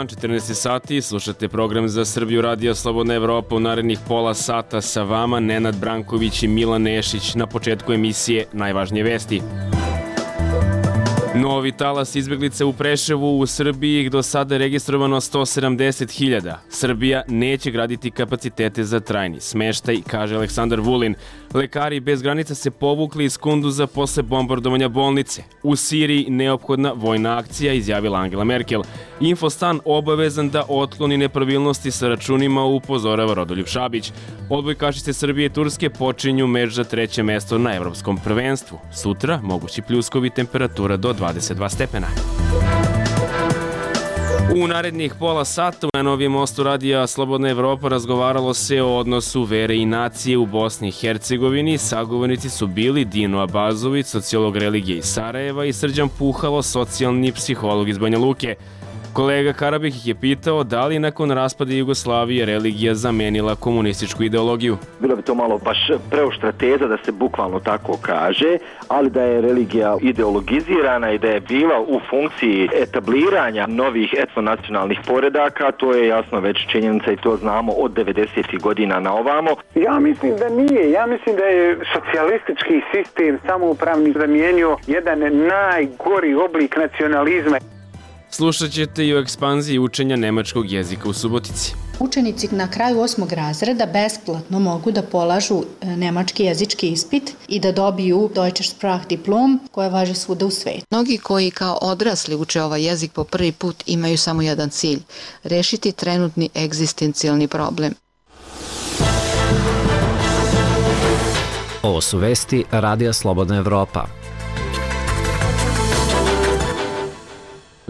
dan, 14 sati, slušate program za Srbiju Radio Slobodna Evropa. U narednih pola sata sa vama Nenad Branković i Milan Nešić. Na početku emisije najvažnije vesti. Novi talas izbeglice u Preševu. U Srbiji ih do sada je registrovano 170.000. Srbija neće graditi kapacitete za trajni smeštaj, kaže Aleksandar Vulin. Lekari bez granica se povukli iz Kunduza posle bombardovanja bolnice. U Siriji neophodna vojna akcija, izjavila Angela Merkel. Infostan obavezan da otkloni nepravilnosti sa računima, upozorava Rodoljub Šabić. Odbojkašice Srbije i Turske počinju meč za 3. mesto na evropskom prvenstvu. Sutra mogući pljuskovi, temperatura do 22 stepena. U narednih pola sata na Novijem mostu radija Slobodna Evropa razgovaralo se o odnosu vere i nacije u Bosni i Hercegovini. Sagovornici su bili Dino Abazović, sociolog religije iz Sarajeva, i Srđan Puhalo, socijalni psiholog iz Banja Luke. Kolega Karabih ih je pitao da li nakon raspada Jugoslavije religija zamenila komunističku ideologiju. Bilo bi to malo baš preoštra teza da se bukvalno tako kaže, ali da je religija ideologizirana i da je bila u funkciji etabliranja novih etnonacionalnih poredaka, to je jasno već činjenica i to znamo od 90. godina na ovamo. Ja mislim da nije. Ja mislim da je socijalistički sistem samoupravni zamijenio jedan najgori oblik nacionalizma. Slušat ćete i o ekspanziji učenja nemačkog jezika u Subotici. Učenici na kraju 8. razreda besplatno mogu da polažu nemački jezički ispit i da dobiju Deutsche Sprachdiplom koja važi svuda u svetu. Mnogi koji kao odrasli uče ovaj jezik po prvi put imaju samo jedan cilj – rešiti trenutni egzistencijalni problem. Ovo su vesti Radija Slobodna Evropa.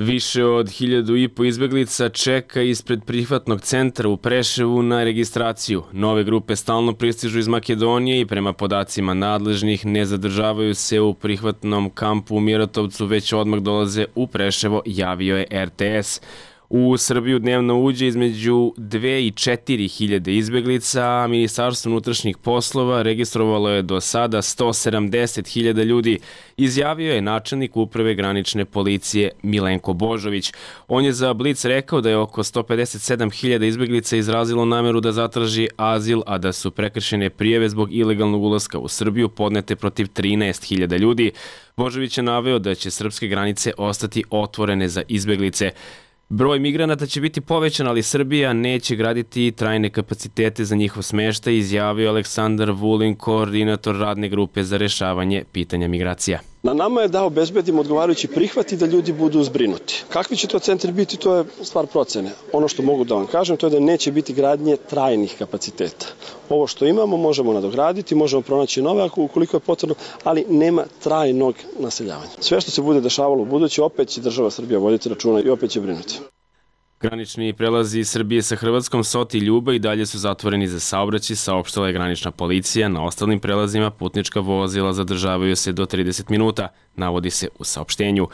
Više od 1.500 izbeglica čeka ispred prihvatnog centra u Preševu na registraciju. Nove grupe stalno pristižu iz Makedonije i prema podacima nadležnih ne zadržavaju se u prihvatnom kampu u Mirotovcu, već odmah dolaze u Preševo, javio je RTS. U Srbiju dnevno uđe između 2 i 4.000 izbeglica, a Ministarstvo unutrašnjih poslova registrovalo je do sada 170.000 ljudi, izjavio je načelnik uprave granične policije Milenko Božović. On je za Blic rekao da je oko 157.000 izbeglica izrazilo nameru da zatraži azil, a da su prekršene prijave zbog ilegalnog ulaska u Srbiju podnete protiv 13.000 ljudi. Božović je naveo da će srpske granice ostati otvorene za izbeglice. Broj migranata će biti povećan, ali Srbija neće graditi trajne kapacitete za njihov smeštaj, izjavio Aleksandar Vulin, koordinator radne grupe za rešavanje pitanja migracija. Na nama je da obezbedimo odgovarajući prihvat i da ljudi budu zbrinuti. Kakvi će to centri biti, to je stvar procene. Ono što mogu da vam kažem, to je da neće biti gradnje trajnih kapaciteta. Ovo što imamo možemo nadograditi, možemo pronaći nove ukoliko je potrebno, ali nema trajnog naseljavanja. Sve što se bude dešavalo u buduće, opet će država Srbija voditi računa i opet će brinuti. Granični prelazi Srbije sa Hrvatskom, Sot i Ljuba, i dalje su zatvoreni za saobraćaj, saopštila je granična policija. Na ostalim prelazima putnička vozila zadržavaju se do 30 minuta, navodi se u saopštenju.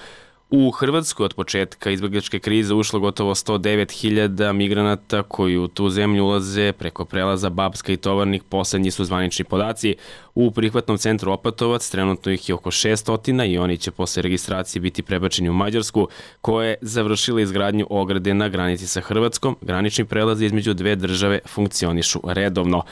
U Hrvatsku od početka izbegličke krize ušlo gotovo 109.000 migranata koji u tu zemlju ulaze preko prelaza Bapska i Tovarnik, poslednji su zvanični podaci. U prihvatnom centru Opatovac trenutno ih je oko 600 i oni će posle registracije biti prebačeni u Mađarsku, koja je završila izgradnju ograde na granici sa Hrvatskom. Granični prelazi između dve države funkcionišu redovno.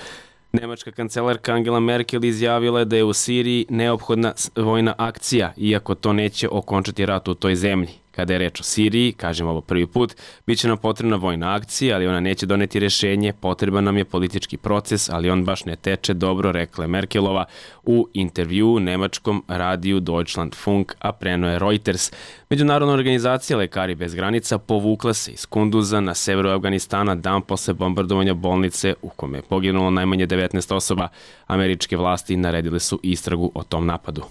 Nemačka kancelarka Angela Merkel izjavila je da je u Siriji neophodna vojna akcija, iako to neće okončati rat u toj zemlji. Kada je reč o Siriji, kažem ovo prvi put, bit će nam potrebna vojna akcija, ali ona neće doneti rešenje, potreban nam je politički proces, ali on baš ne teče dobro, rekla je Merkelova u intervjuu nemačkom radiju Deutschlandfunk, a preno je Reuters. Međunarodna organizacija Lekari bez granica povukla se iz Kunduza na severu Afganistana dan posle bombardovanja bolnice u kome je poginulo najmanje 19 osoba. Američke vlasti naredile su istragu o tom napadu.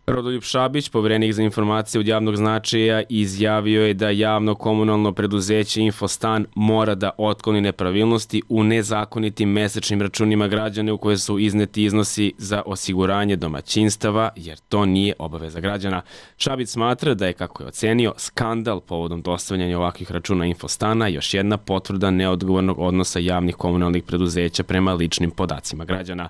Rodoljub Šabić, poverenik za informacije od javnog značaja, izjavio je da javno komunalno preduzeće Infostan mora da otkloni nepravilnosti u nezakonitim mesečnim računima građana u koje su izneti iznosi za osiguranje domaćinstava, jer to nije obaveza građana. Šabić smatra da je, kako je ocenio, skandal povodom dostavljanja ovakvih računa Infostana još jedna potvrda neodgovornog odnosa javnih komunalnih preduzeća prema ličnim podacima građana.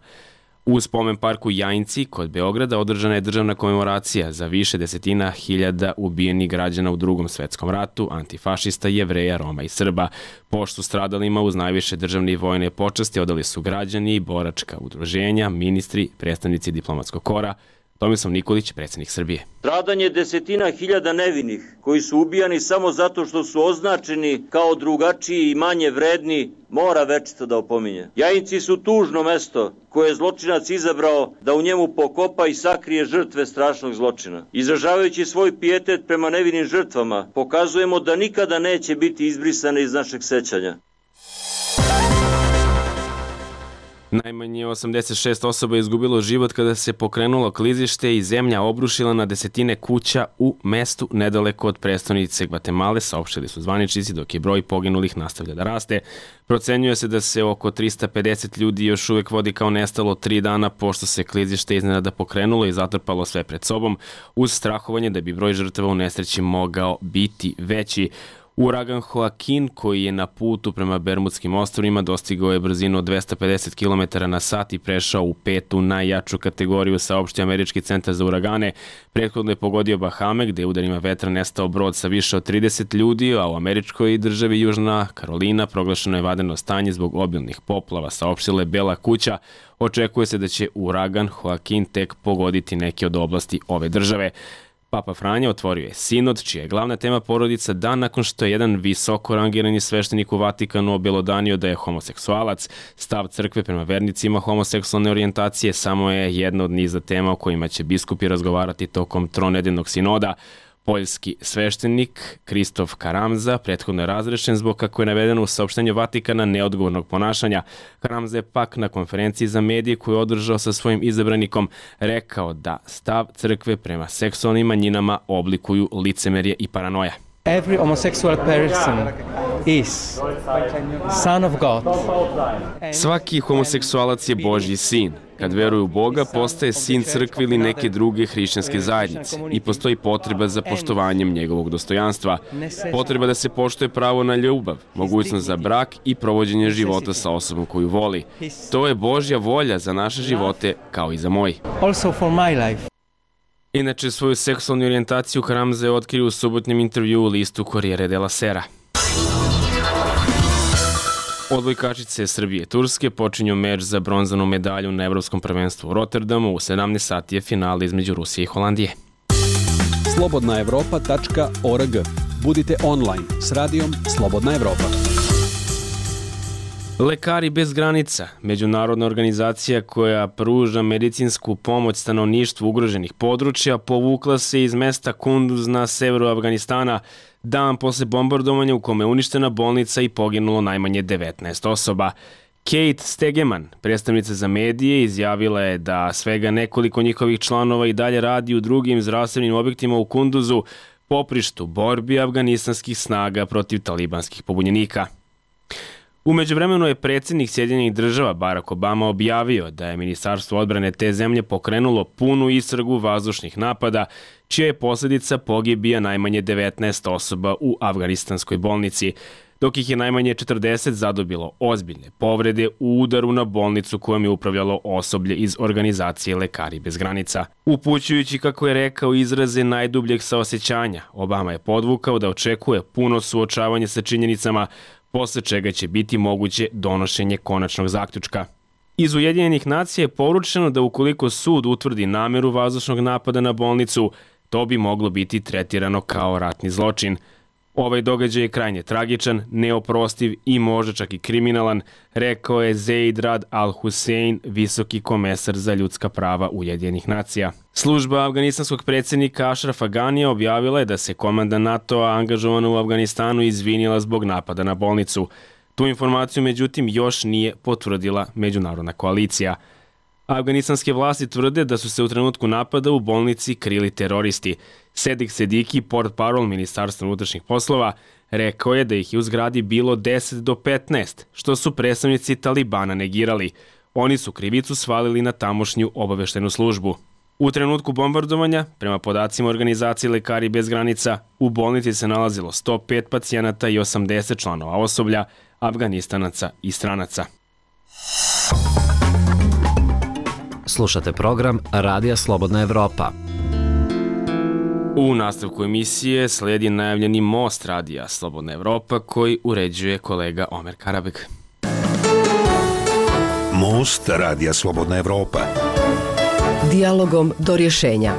U spomen parku Jajinci kod Beograda održana je državna komemoracija za više desetina hiljada ubijenih građana u Drugom svetskom ratu, antifašista, Jevreja, Roma i Srba. Poštu stradalima uz najviše državne i vojne počasti odali su građani, boračka udruženja, ministri, predstavnici diplomatskog kora. Tomislav Nikolić, predsjednik Srbije. Stradanje desetina hiljada nevinih koji su ubijani samo zato što su označeni kao drugačiji i manje vredni mora večito da opominje. Jajinci su tužno mesto koje je zločinac izabrao da u njemu pokopa i sakrije žrtve strašnog zločina. Izražavajući svoj pijetet prema nevinim žrtvama, pokazujemo da nikada neće biti izbrisane iz našeg sećanja. Najmanje 86 osoba je izgubilo život kada se pokrenulo klizište i zemlja obrušila na desetine kuća u mestu nedaleko od prestonice Gvatemale, saopštili su zvaničnici, dok je broj poginulih nastavlja da raste. Procenjuje se da se oko 350 ljudi još uvek vodi kao nestalo 3 dana pošto se klizište iznenada pokrenulo i zatrpalo sve pred sobom, uz strahovanje da bi broj žrtava u nesreći mogao biti veći. Uragan Joaquin, koji je na putu prema Bermudskim ostrvima, dostigao je brzinu od 250 km na sat i prešao u 5. najjaču kategoriju, saopštio Američki centar za uragane. Prethodno je pogodio Bahame, gde je udarima vetra nestao brod sa više od 30 ljudi, a u američkoj državi Južna Karolina proglašeno je vanredno stanje zbog obilnih poplava, saopštila je Bela kuća. Očekuje se da će uragan Joaquin tek pogoditi neke od oblasti ove države. Papa Franja otvorio je sinod, čija je glavna tema porodica, dan nakon što je jedan visoko rangirani sveštenik u Vatikanu obelodanio da je homoseksualac. Stav crkve prema vernicima homoseksualne orijentacije samo je jedna od niza tema o kojima će biskupi razgovarati tokom tronedeljnog sinoda. Poljski sveštenik Kristof Karamza prethodno je razrešen zbog, kako je navedeno u saopštenju Vatikana, neodgovornog ponašanja. Karamza je pak na konferenciji za medije koju je održao sa svojim izabranikom rekao da stav crkve prema seksualnim manjinama oblikuju licemerje i paranoja. Every homosexual person is son of God. Svaki homoseksualac je Božji sin. Kad veruje u Boga, postaje sin crkve ili neke druge hrišćanske zajednice i postoji potreba za poštovanjem njegovog dostojanstva. Potreba da se poštuje pravo na ljubav, mogućnost za brak i provođenje života sa osobom koju voli. To je Božja volja za naše živote, kao i za moj. Also for my life. Inače, svoju seksualnu orijentaciju Karamza je otkrio u subotnjem intervju u listu Corriere della Sera. Odbojkačice Srbije i Turske počinju meč za bronzanu medalju na Evropskom prvenstvu u Rotterdamu. U 17 sati je finale između Rusije i Holandije. slobodnaevropa.org. Budite online s radijom Slobodna Evropa. Lekari bez granica, međunarodna organizacija koja pruža medicinsku pomoć stanovništvu ugroženih područja, povukla se iz mesta Kunduz na severu Afganistana dan posle bombardovanja u kome je uništena bolnica i poginulo najmanje 19 osoba. Kate Stegeman, predstavnica za medije, izjavila je da svega nekoliko njihovih članova i dalje radi u drugim zdravstvenim objektima u Kunduzu, poprištu borbi afganistanskih snaga protiv talibanskih pobunjenika. U međuvremenu je predsjednik Sjedinjenih Država Barack Obama objavio da je Ministarstvo odbrane te zemlje pokrenulo punu istragu vazdušnih napada, čija je posljedica pogibija najmanje 19 osoba u afganistanskoj bolnici, dok ih je najmanje 40 zadobilo ozbiljne povrede u udaru na bolnicu kojom je upravljalo osoblje iz organizacije Lekari bez granica. Upućujući, kako je rekao, izraze najdubljeg saosećanja, Obama je podvukao da očekuje puno suočavanje sa činjenicama, posle čega će biti moguće donošenje konačnog zaključka. Iz Ujedinjenih nacija je poručeno da ukoliko sud utvrdi nameru vazdušnog napada na bolnicu, to bi moglo biti tretirano kao ratni zločin. Ovaj događaj je krajnje tragičan, neoprostiv i možda čak i kriminalan, rekao je Zeid Rad Al-Hussein, visoki komesar za ljudska prava Ujedinjenih nacija. Služba afganistanskog predsjednika Ašrafa Ganija objavila je da se komanda NATO-a angažovana u Afganistanu izvinila zbog napada na bolnicu. Tu informaciju, međutim, još nije potvrdila međunarodna koalicija. Afganistanske vlasti tvrde da su se u trenutku napada u bolnici krili teroristi. Sedik Sediki, portparol Ministarstva unutrašnjih poslova, rekao je da ih je u zgradi bilo 10 do 15, što su predstavnici Talibana negirali. Oni su krivicu svalili na tamošnju obaveštenu službu. U trenutku bombardovanja, prema podacima organizacije Lekari bez granica, u bolnici se nalazilo 105 pacijenata i 80 članova osoblja, Afganistanaca i stranaca. Slušate program Radija Slobodna Evropa. U nastavku emisije slijedi najavljeni most Radija Slobodna Evropa koji uređuje kolega Omer Karabek. Most Radija Slobodna Evropa. Dijalogom do rješenja.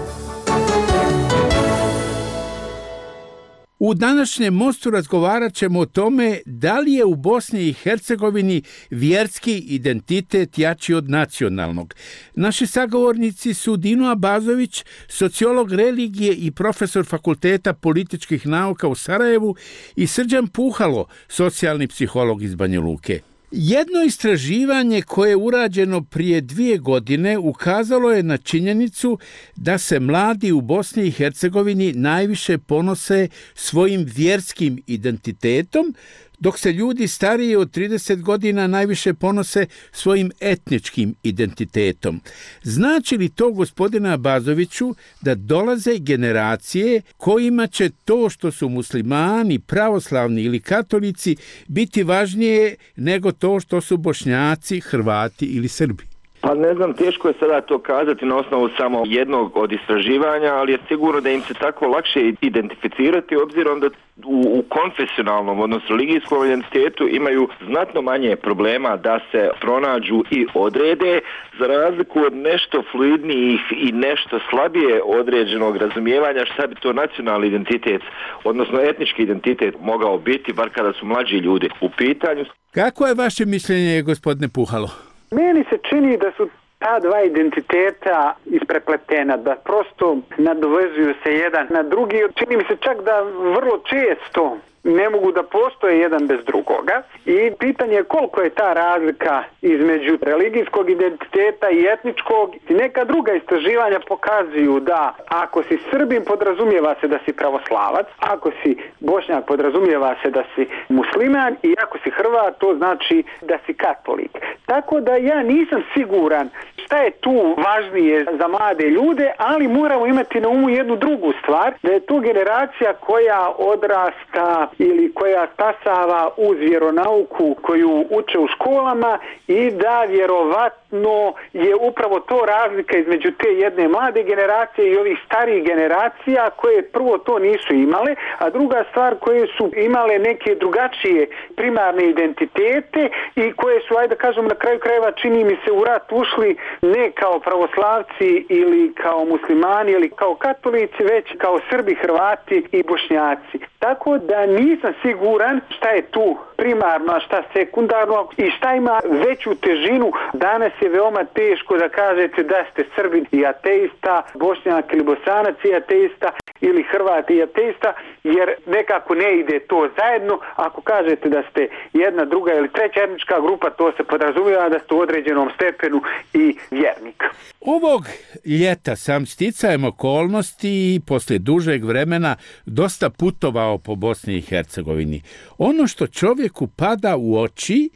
U današnjem mostu razgovarat ćemo o tome da li je u Bosni i Hercegovini vjerski identitet jači od nacionalnog. Naši sagovornici su Dino Abazović, sociolog religije i profesor Fakulteta političkih nauka u Sarajevu, i Srđan Puhalo, socijalni psiholog iz Banja Luke. Jedno istraživanje koje je urađeno prije 2 godine ukazalo je na činjenicu da se mladi u Bosni i Hercegovini najviše ponose svojim vjerskim identitetom, dok se ljudi stariji od 30 godina najviše ponose svojim etničkim identitetom. Znači li to, gospodine Abazoviću, da dolaze generacije kojima će to što su muslimani, pravoslavni ili katolici biti važnije nego to što su Bošnjaci, Hrvati ili Srbi? Pa ne znam, teško je sada to kazati na osnovu samo jednog od istraživanja, ali je sigurno da im se tako lakše identificirati, obzirom da u konfesionalnom, odnosno religijskom identitetu imaju znatno manje problema da se pronađu i odrede, za razliku od nešto fluidnijih i nešto slabije određenog razumijevanja šta bi to nacionalni identitet, odnosno etnički identitet mogao biti, bar kada su mlađi ljudi u pitanju. Kako je vaše mišljenje, gospodine Puhalo? Meni se čini da su ta dva identiteta isprepletena, da prosto nadovezuju se jedan na drugi. Čini mi se čak da vrlo često ne mogu da postoje jedan bez drugoga i pitanje je koliko je ta razlika između religijskog identiteta i etničkog. Neka druga istraživanja pokazuju da ako si Srbin podrazumijeva se da si pravoslavac, ako si Bošnjak podrazumijeva se da si musliman i ako si Hrvat to znači da si katolik. Tako da ja nisam siguran šta je tu važnije za mlade ljude, ali moramo imati na umu jednu drugu stvar, da je to generacija koja odrasta ili koja stasava uz vjeronauku koju uče u školama i da vjerovatno je upravo to razlika između te jedne mlade generacije i ovih starijih generacija koje prvo to nisu imale, a druga stvar koje su imale neke drugačije primarne identitete i koje su, ajde da kažem, na kraju krajeva čini mi se u rat ušli ne kao pravoslavci ili kao muslimani ili kao katolici, već kao Srbi, Hrvati i Bošnjaci. Tako da nisam siguran šta je tu primarno, a šta sekundarno i šta ima veću težinu. Danas je veoma teško da kažete da ste Srbin i ateista, Bošnjak ili Bosanac i ateista ili Hrvat i ateista, jer nekako ne ide to zajedno. Ako kažete da ste jedna, druga ili treća etnička grupa, to se podrazumijeva da ste u određenom stepenu i vjernik. Ovog ljeta sam sticajem okolnosti i poslije dužeg vremena dosta putovao po Bosni i Hercegovini. Ono što čovjeku pada u oči,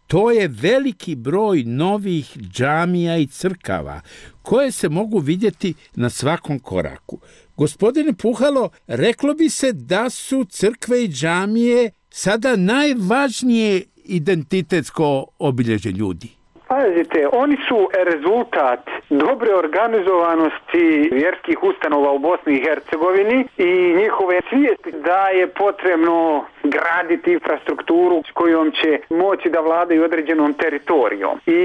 to je veliki broj novih džamija i crkava koje se mogu vidjeti na svakom koraku. Gospodine Puhalo, reklo bi se da su crkve i džamije sada najvažnije identitetsko obilježje ljudi. Pazite, oni su rezultat dobre organizovanosti vjerskih ustanova u Bosni i Hercegovini i njihove svijesti da je potrebno graditi infrastrukturu s kojom će moći da vladaju određenom teritorijom. I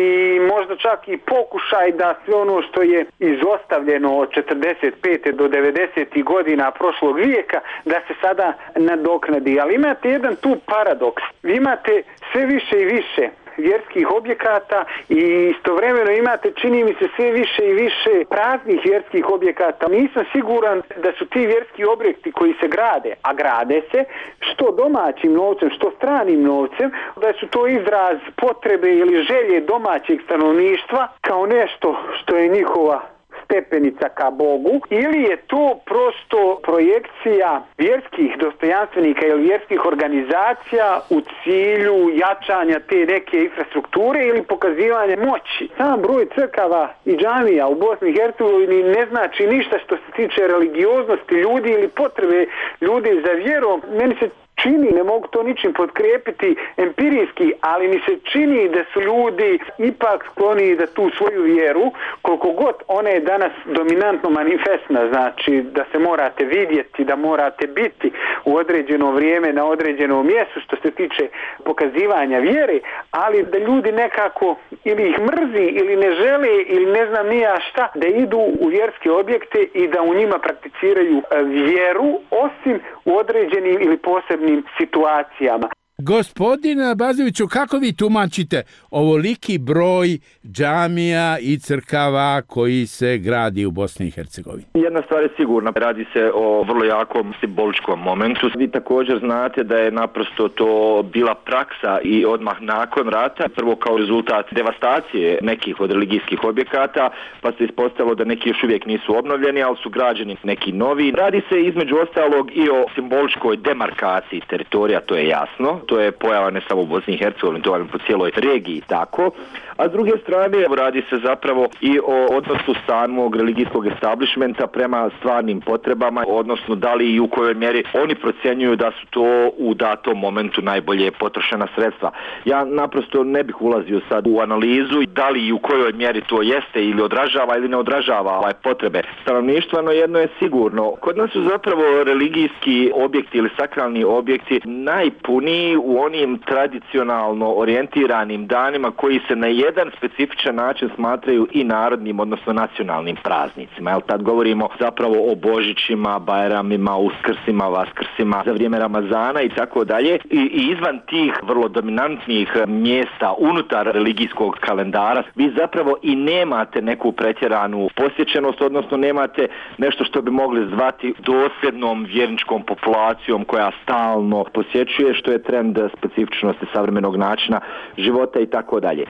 možda čak i pokušaj da sve ono što je izostavljeno od 45. do 90. godina prošlog vijeka da se sada nadoknadi. Ali imate jedan tu paradoks. Vi imate sve više i više vjerskih objekata i istovremeno imate, čini mi se, sve više i više praznih vjerskih objekata. Nisam siguran da su ti vjerski objekti koji se grade, a grade se, što domaćim novcem, što stranim novcem, da su to izraz potrebe ili želje domaćeg stanovništva kao nešto što je njihova stepenica ka Bogu, ili je to prosto projekcija vjerskih dostojanstvenika ili vjerskih organizacija u cilju jačanja te neke infrastrukture ili pokazivanja moći. Sam broj crkava i džamija u Bosni i Hercegovini ne znači ništa što se tiče religioznosti ljudi ili potrebe ljudi za vjerom. Meni se čini, ne mogu to ničim potkrijepiti empirijski, ali mi se čini da su ljudi ipak skloni da tu svoju vjeru, koliko god ona je danas dominantno manifestna, znači da se morate vidjeti, da morate biti u određeno vrijeme na određenom mjestu što se tiče pokazivanja vjere, ali da ljudi nekako ili ih mrzi ili ne žele ili ne znam ni ja šta, da idu u vjerske objekte i da u njima prakticiraju vjeru, osim u određenim ili posebnim situacijama. Gospodine Abazoviću, kako vi tumačite ovoliki broj džamija i crkava koji se gradi u Bosni i Hercegovini? Jedna stvar je sigurna, radi se o vrlo jakom simboličkom momentu. Vi također znate da je naprosto to bila praksa i odmah nakon rata, prvo kao rezultat devastacije nekih od religijskih objekata, pa se ispostavilo da neki još uvijek nisu obnovljeni, ali su građeni neki novi. Radi se između ostalog i o simboličkoj demarkaciji teritorija, to je jasno. To je pojava ne samo u Bosni i Hercegovini, to je po cijeloj regiji tako. A s druge strane radi se zapravo i o odnosu samog religijskog establishmenta prema stvarnim potrebama, odnosno da li i u kojoj mjeri oni procjenjuju da su to u datom momentu najbolje potrošena sredstva. Ja naprosto ne bih ulazio sad u analizu da li i u kojoj mjeri to jeste ili odražava ili ne odražava potrebe stanovništva, no jedno je sigurno. Kod nas su zapravo religijski objekti ili sakralni objekti najpuniji u onim tradicionalno orijentiranim danima koji se na jedan specifičan način smatraju i narodnim, odnosno nacionalnim praznicima. Jel, tad govorimo zapravo o Božićima, Bajramima, Uskrsima, Vaskrsima, za vrijeme Ramazana i tako dalje. I izvan tih vrlo dominantnih mjesta unutar religijskog kalendara vi zapravo i nemate neku pretjeranu posjećenost, odnosno nemate nešto što bi mogli zvati dosljednom vjerničkom populacijom koja stalno posjećuje, što je trend specifičnosti savremenog načina života i tako dalje.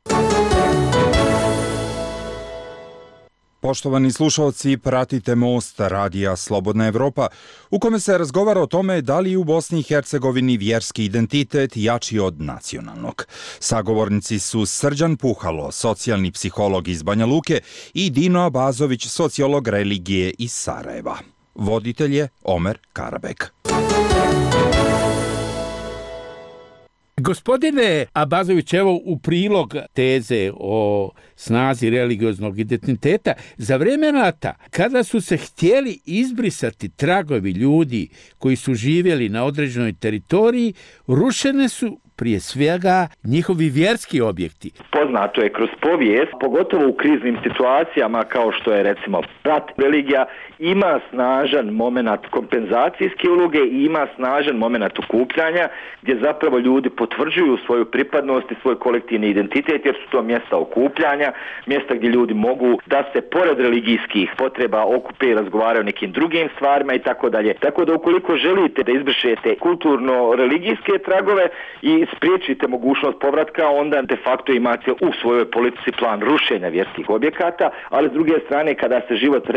Poštovani slušalci, pratite Most Radija Slobodna Evropa, u kome se razgovara o tome da li u Bosni i Hercegovini vjerski identitet jači od nacionalnog. Sagovornici su Srđan Puhalo, socijalni psiholog iz Banja Luke, i Dino Abazović, sociolog religije iz Sarajeva. Voditelj je Omer Karabek. Gospodine Abazović, evo u prilog teze o snazi religioznog identiteta, za vrijeme rata, kada su se htjeli izbrisati tragovi ljudi koji su živjeli na određenoj teritoriji, rušene su prije svega njihovi vjerski objekti. Poznato je kroz povijest, pogotovo u kriznim situacijama kao što je recimo rat, religija ima snažan moment kompenzacijske uloge i ima snažan moment okupljanja gdje zapravo ljudi potvrđuju svoju pripadnost i svoj kolektivni identitet jer su to mjesta okupljanja, mjesta gdje ljudi mogu da se pored religijskih potreba okupe i razgovaraju o nekim drugim stvarima i tako dalje. Tako da ukoliko želite da izbrišete kulturno-religijske tragove i spriječite mogućnost povratka, onda de facto imate u svojoj politici plan rušenja vjerskih objekata, ali s druge strane kada se život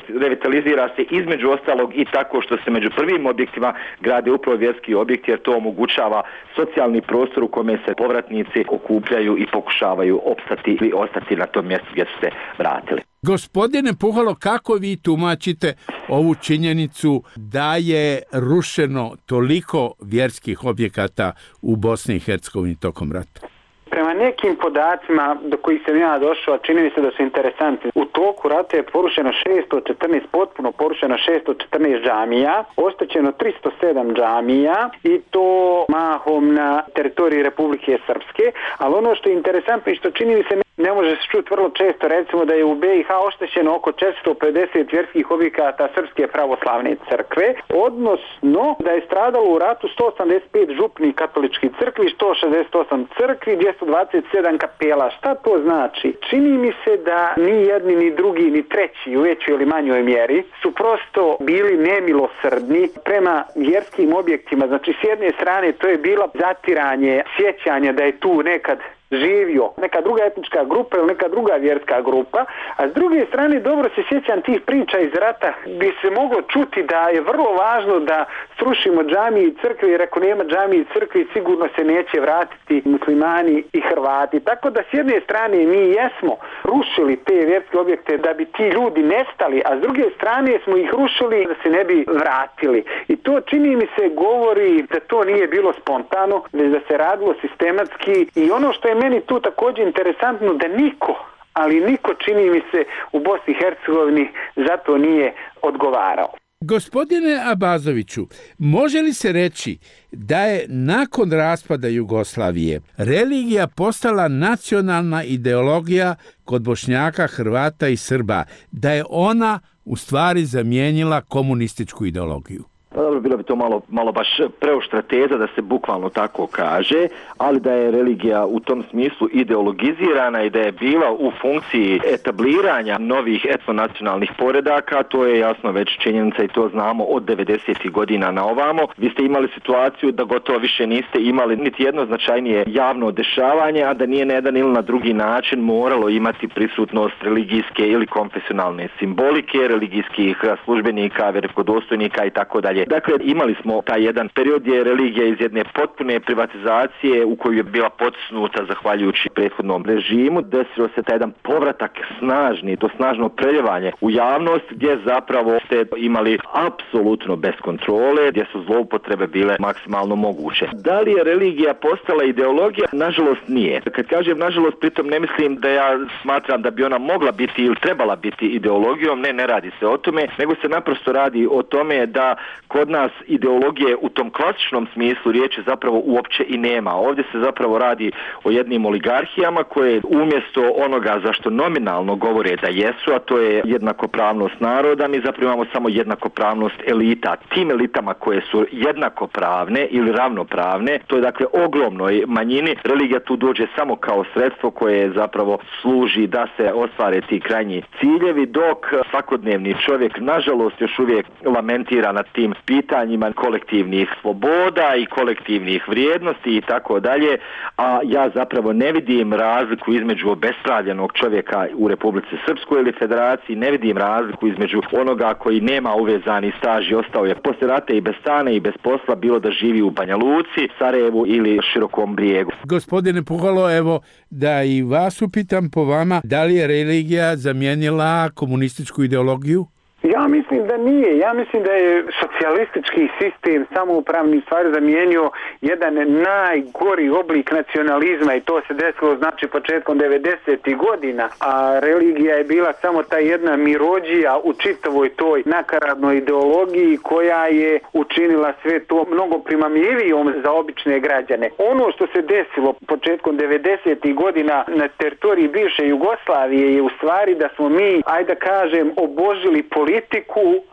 revitalizira se između ostalog i tako što se među prvim objektima grade upravo vjerski objekti, jer to omogućava socijalni prostor u kome se povratnici okupljaju i pokušavaju opstati ili ostati na tom mjestu gdje su se vratili. Gospodine Puhalo, kako vi tumačite ovu činjenicu da je rušeno toliko vjerskih objekata u Bosni i Hercegovini tokom rata? Prema nekim podacima do kojih sam ja došao, čini mi se da su interesantni. U toku rata je porušeno 614, potpuno porušeno 614 džamija, oštećeno 307 džamija i to mahom na teritoriji Republike Srpske. Ali ono što je interesantno i što čini mi se ne može se čuti vrlo često, recimo da je u BiH oštećeno oko 450 vjerskih objekata Srpske pravoslavne crkve, odnosno da je stradalo u ratu 185 župnih katoličkih crkvi, 168 crkvi, 227 kapela. Šta to znači? Čini mi se da ni jedni, ni drugi, ni treći u većoj ili manjoj mjeri su prosto bili nemilosrdni prema vjerskim objektima. Znači, s jedne strane to je bilo zatiranje, sjećanje da je tu nekad živio neka druga etnička grupa ili neka druga vjerska grupa, a s druge strane dobro se sjećam tih priča iz rata gdje se moglo čuti da je vrlo važno da srušimo džamije i crkve, jer ako nema džamije i crkve sigurno se neće vratiti muslimani i Hrvati. Tako da s jedne strane mi jesmo rušili te vjerske objekte da bi ti ljudi nestali, a s druge strane smo ih rušili da se ne bi vratili. I to čini mi se govori da to nije bilo spontano, već da se radilo sistematski. I ono što je meni tu također interesantno, da niko čini mi se u Bosni i Hercegovini za to nije odgovarao. Gospodine Abazoviću, može li se reći da je nakon raspada Jugoslavije religija postala nacionalna ideologija kod Bošnjaka, Hrvata i Srba, da je ona u stvari zamijenila komunističku ideologiju? Pa dobro, bilo bi to malo baš preoštra teza da se bukvalno tako kaže, ali da je religija u tom smislu ideologizirana i da je bila u funkciji etabliranja novih etnonacionalnih poredaka, to je jasno već činjenica i to znamo od 90. godina na ovamo. Vi ste imali situaciju da gotovo više niste imali niti jedno značajnije javno dešavanje, a da nije na jedan ili na drugi način moralo imati prisutnost religijske ili konfesionalne simbolike, religijskih službenika, velikodostojnika i tako dalje. Dakle, imali smo taj jedan period gdje je religija iz jedne potpune privatizacije u koju je bila potisnuta zahvaljujući prethodnom režimu, desilo se taj jedan povratak snažni, to snažno preljevanje u javnost gdje zapravo ste imali apsolutno bez kontrole, gdje su zloupotrebe bile maksimalno moguće. Da li je religija postala ideologija? Nažalost nije. Kad kažem nažalost, pritom ne mislim da ja smatram da bi ona mogla biti ili trebala biti ideologijom, ne radi se o tome, nego se naprosto radi o tome da kod nas ideologije u tom klasičnom smislu riječi zapravo uopće i nema. Ovdje se zapravo radi o jednim oligarhijama koje umjesto onoga za što nominalno govore da jesu, a to je jednakopravnost naroda, mi zapravo imamo samo jednakopravnost elita. Tim elitama koje su jednakopravne ili ravnopravne, to je dakle ogromnoj manjini, religija tu dođe samo kao sredstvo koje zapravo služi da se ostvare ti krajnji ciljevi, dok svakodnevni čovjek nažalost još uvijek lamentira nad tim pitanjima kolektivnih sloboda i kolektivnih vrijednosti i tako dalje, a ja zapravo ne vidim razliku između obespravljenog čovjeka u Republici Srpskoj ili Federaciji, ne vidim razliku između onoga koji nema uvezani staž i ostao je poslije rata i bez stana i bez posla, bilo da živi u Banja Luci, Sarajevu ili Širokom Brijegu. Gospodine Puhalo, evo da i vas upitam po vama, da li je religija zamijenila komunističku ideologiju? Ja mislim da nije. Ja mislim da je socijalistički sistem samoupravni stvari zamijenio jedan najgori oblik nacionalizma i to se desilo znači početkom 90. godina, a religija je bila samo ta jedna mirođija u čitavoj toj nakaradnoj ideologiji koja je učinila sve to mnogo primamljivijom za obične građane. Ono što se desilo početkom 90. godina na teritoriji bivše Jugoslavije je u stvari da smo mi, ajde da kažem, obožili politiku,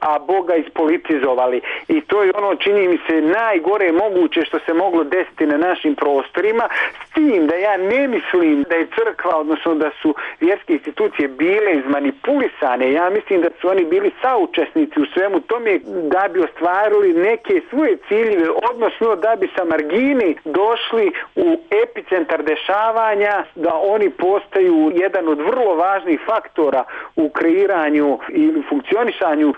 a Boga ispolitizovali. I to je ono, čini mi se, najgore moguće što se moglo desiti na našim prostorima, s tim da ja ne mislim da je crkva, odnosno da su vjerske institucije bile izmanipulisane. Ja mislim da su oni bili saučesnici u svemu tome da bi ostvarili neke svoje ciljeve, odnosno da bi sa margini došli u epicentar dešavanja, da oni postaju jedan od vrlo važnih faktora u kreiranju ili funkcionisanju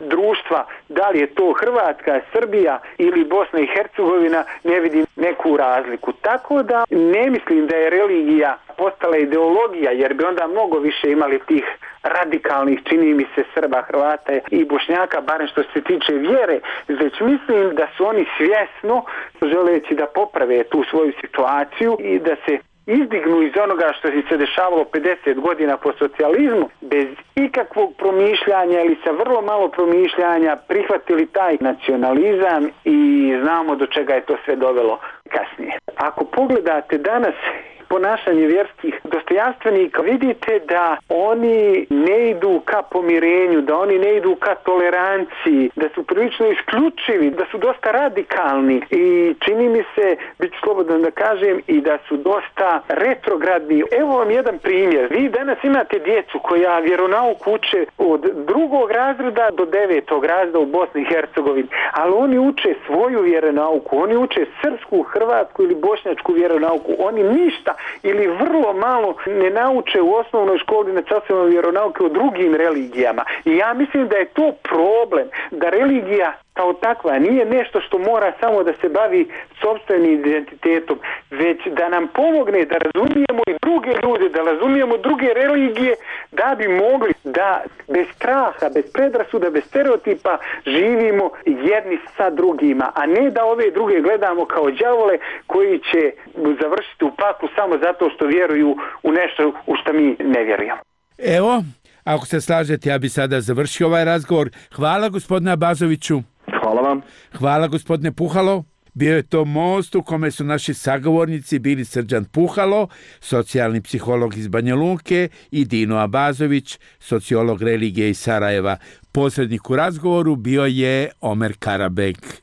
društva, da li je to Hrvatska, Srbija ili Bosna i Hercegovina, ne vidim neku razliku. Tako da ne mislim da je religija postala ideologija, jer bi onda mnogo više imali tih radikalnih, čini mi se, Srba, Hrvata i Bošnjaka, barem što se tiče vjere, već mislim da su oni svjesno, želeći da poprave tu svoju situaciju i da se izdignu iz onoga što se dešavalo 50 godina po socijalizmu, bez ikakvog promišljanja ili sa vrlo malo promišljanja prihvatili taj nacionalizam i znamo do čega je to sve dovelo kasnije. Ako pogledate danas ponašanje vjerskih dostojanstvenika, vidite da oni ne idu ka pomirenju, da oni ne idu ka toleranciji, da su prilično isključivi, da su dosta radikalni i čini mi se, bit ću slobodan da kažem, i da su dosta retrogradni. Evo vam jedan primjer. Vi danas imate djecu koja vjeronauku uče od 2. razreda do 9. razreda u Bosni i Hercegovini, ali oni uče svoju vjeronauku, oni uče srpsku, hrvatsku ili bošnjačku vjeronauku. Oni ništa ili vrlo malo ne nauče u osnovnoj školi na časovima vjeronauke o drugim religijama. I ja mislim da je to problem, da religija kao takva nije nešto što mora samo da se bavi sopstvenim identitetom, već da nam pomogne da razumijemo i druge ljude, da razumijemo druge religije, da bi mogli da bez straha, bez predrasuda, bez stereotipa živimo jedni sa drugima, a ne da ove druge gledamo kao đavole koji će završiti u paklu samo zato što vjeruju u nešto u što mi ne vjerujemo. Evo, ako se slažete, ja bi sada završio ovaj razgovor. Hvala gospodine Abazoviću. Hvala vam. Hvala gospodine Puhalo. Bio je to most u kome su naši sagovornici bili Srđan Puhalo, socijalni psiholog iz Banja Luke, i Dino Abazović, sociolog religije iz Sarajeva. Posrednik u razgovoru bio je Omer Karabek.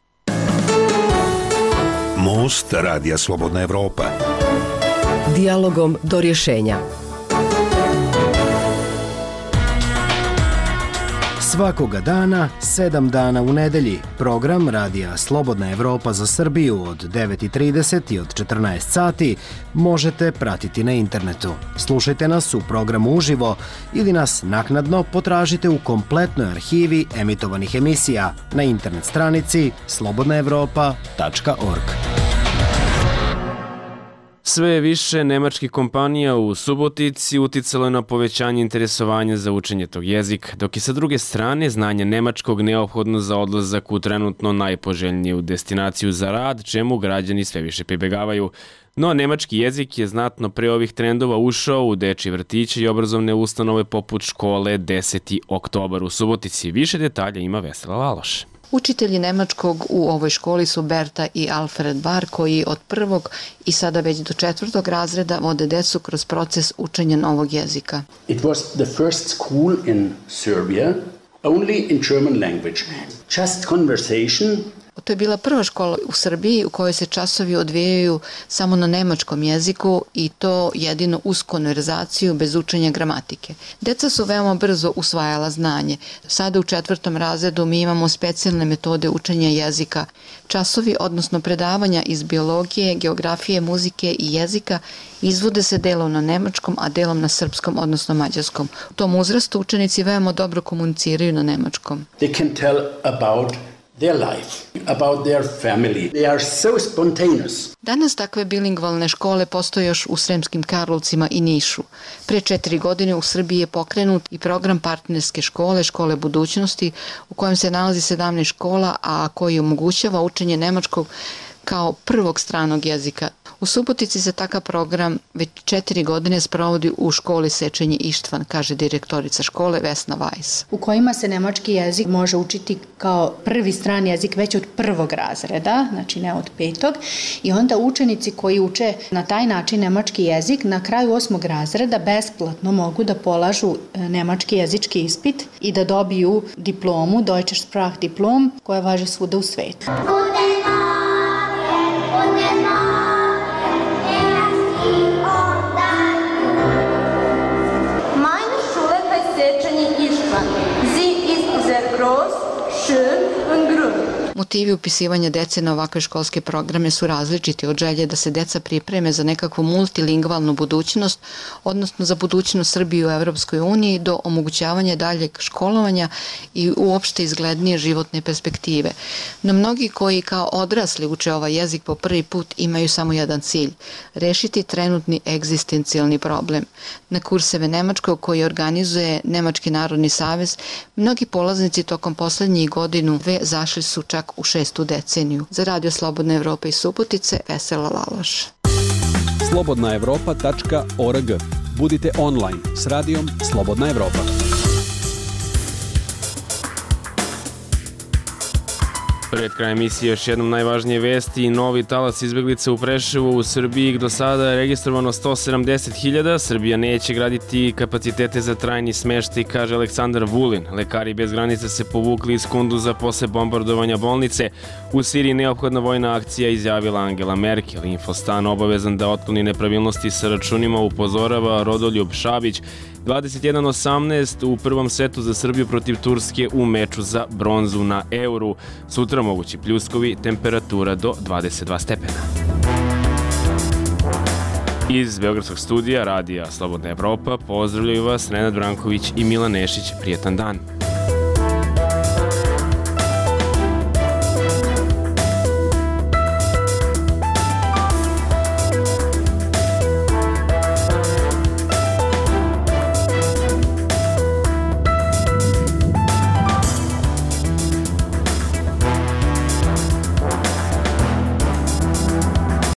Most Radija Slobodna Evropa. Dijalogom do rješenja. Svakoga dana, 7 dana u nedelji, program Radija Slobodna Evropa za Srbiju od 9:30 i od 14 sati možete pratiti na internetu. Slušajte nas u programu uživo ili nas naknadno potražite u kompletnoj arhivi emitovanih emisija na internet stranici slobodnaevropa.org. Sve više nemačkih kompanija u Subotici uticalo je na povećanje interesovanja za učenje tog jezika, dok je sa druge strane znanje nemačkog neophodno za odlazak u trenutno najpoželjniju destinaciju za rad, čemu građani sve više pribegavaju. No, nemački jezik je znatno pre ovih trendova ušao u dečji vrtiće i obrazovne ustanove poput škole 10. oktobar u Subotici. Više detalja ima Vesela Laloš. Učitelji nemačkog u ovoj školi su Berta i Alfred Bar, koji od 1. i sada već do 4. razreda vode decu kroz proces učenja novog jezika. It was the first school in Serbia only in German language. Just conversation. To je bila prva škola u Srbiji u kojoj se časovi odvijaju samo na nemačkom jeziku i to jedino uz konverzaciju bez učenja gramatike. Deca su veoma brzo usvajala znanje. Sada u 4. razredu mi imamo specijalne metode učenja jezika. Časovi, odnosno predavanja iz biologije, geografije, muzike i jezika izvode se delom na nemačkom, a delom na srpskom, odnosno mađarskom. U tom uzrastu učenici veoma dobro komuniciraju na nemačkom. They can tell about their life, about their family. They are so spontaneous. Danas takve bilingvalne škole postoje još u Sremskim Karlovcima i Nišu. Pre 4 godine u Srbiji je pokrenut i program partnerske škole, škole budućnosti, u kojem se nalazi 17 škola, a koji omogućava učenje nemačkog kao prvog stranog jezika. U Subotici se takav program već 4 godine sprovodi u školi Sečenje Ištvan, kaže direktorica škole Vesna Vajs. U kojima se nemački jezik može učiti kao prvi strani jezik već od 1. razreda, znači ne od 5. I onda učenici koji uče na taj način nemački jezik na kraju 8. razreda besplatno mogu da polažu nemački jezički ispit i da dobiju diplomu, Deutsche Sprachdiplom, koja važi svuda u svetu. Motivi upisivanja dece na ovakve školske programe su različiti, od želje da se deca pripreme za nekakvu multilingvalnu budućnost, odnosno za budućnost Srbije u Evropskoj uniji, do omogućavanja daljeg školovanja i uopšte izglednije životne perspektive. No mnogi koji kao odrasli uče ovaj jezik po prvi put imaju samo jedan cilj – rešiti trenutni egzistencijalni problem. Na kurseve nemačkog koji organizuje Nemački narodni savez, mnogi polaznici tokom poslednjih godinu zašli su čak u 6. deceniju. Za Radio Slobodna Evropa iz Subotice, Vesela Laloš. slobodnaevropa.org. Budite online s radijom Slobodna Evropa. Pred kraj emisije još jednom najvažnije vesti. Novi talas izbeglica u Preševu. U Srbiji do sada je registrovano 170.000. Srbija neće graditi kapacitete za trajni smeštaj, kaže Aleksandar Vulin. Lekari bez granica se povukli iz Kunduza posle bombardovanja bolnice. U Siriji neophodna vojna akcija, izjavila Angela Merkel. Infostan obavezan da otkloni nepravilnosti sa računima, upozorava Rodoljub Šabić. 21:18 u prvom setu za Srbiju protiv Turske u meču za bronzu na Euru. Sutra mogući pljuskovi, temperatura do 22 stepena. Iz Beogradskog studija Radija Slobodna Evropa pozdravljaju vas Nenad Branković i Milan Nešić. Prijetan dan.